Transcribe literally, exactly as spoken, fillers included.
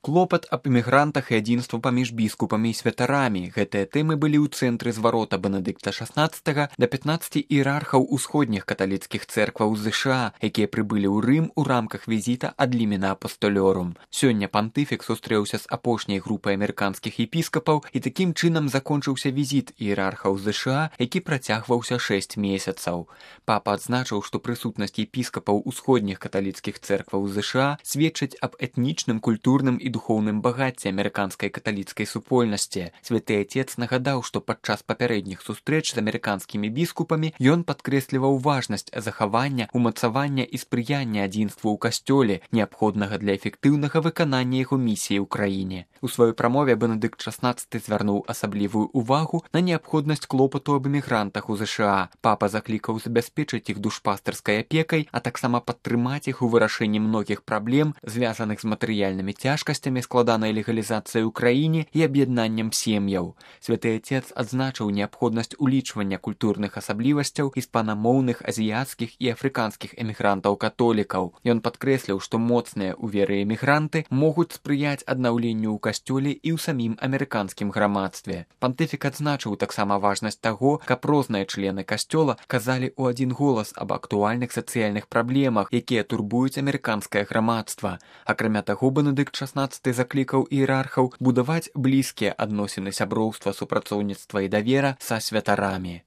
Клопат аб эмігрантах і адзінства паміж біскупамі і святарамі. Гэтыя тэмы былі ў цэнтры зварота Бенедыкта шаснаццатага да пятнаццаці іерархаў усходніх каталіцкіх цэркваў ЗША, якія прыбылі ў Рым у рамках візіта ад лімена апостолёрум. Сёння пантыфік сустрэўся з апошняй групай амерыканскіх епіскапаў і такім чынам закончыўся візіт іерархаў ЗША, які працягваўся шэсць месяцаў. Папа адзначыў, што прысутнасць епіскапаў усходніх каталіцкіх цэркваў ЗША сведчыць аб этнічным, культурным і духоўным багацці амерыканскай каталіцкай супольнасці. Святы Отец нагадаў, што падчас папярэдніх сустрэч з амерыканскімі біскупамі ён падкрэсліваў важнасць захавання, умацавання і спрыяння адзінству ў касцёле, неабходнага для эфектыўнага выканання яго місіі ў краіне. У сваёй прамове Бенедыкт шаснаццаты звярнуў асаблівую увагу на неабходнасць клопату аб эмігрантах у ЗША. Папа заклікаў забяспечыць іх душпастарскай апекай, а таксама падтрымаць іх у вырашэнні многіх праблем, звязаных з матэрыяльнымі цяжкасцямі, складанай легалізацыяй у краіне і аб'яднаннем сем'яў. Святы Отец адзначыў неабходнасць улічвання культурных асаблівасцяў іспанамоўных, азіяцкіх і афрыканскіх эмігрантаў-католікаў. Ён падкрэсліў, што моцныя ў веры эмігранты могуць спрыяць аднаўленню ў касцёле і ў самім амерыканскім грамадстве. Пантыфік адзначыў таксама важнасць таго, каб розныя члены касцёла казалі ў адзін голас аб актуальных сацыяльных праблемах, якія турбуюць амерыканскае грамадства. Акрамя таго, Бенедыкт шаснаццаты заклікаў іерархаў будаваць блізкія адносіны сяброўства, супрацоўніцтва і давера са святарамі.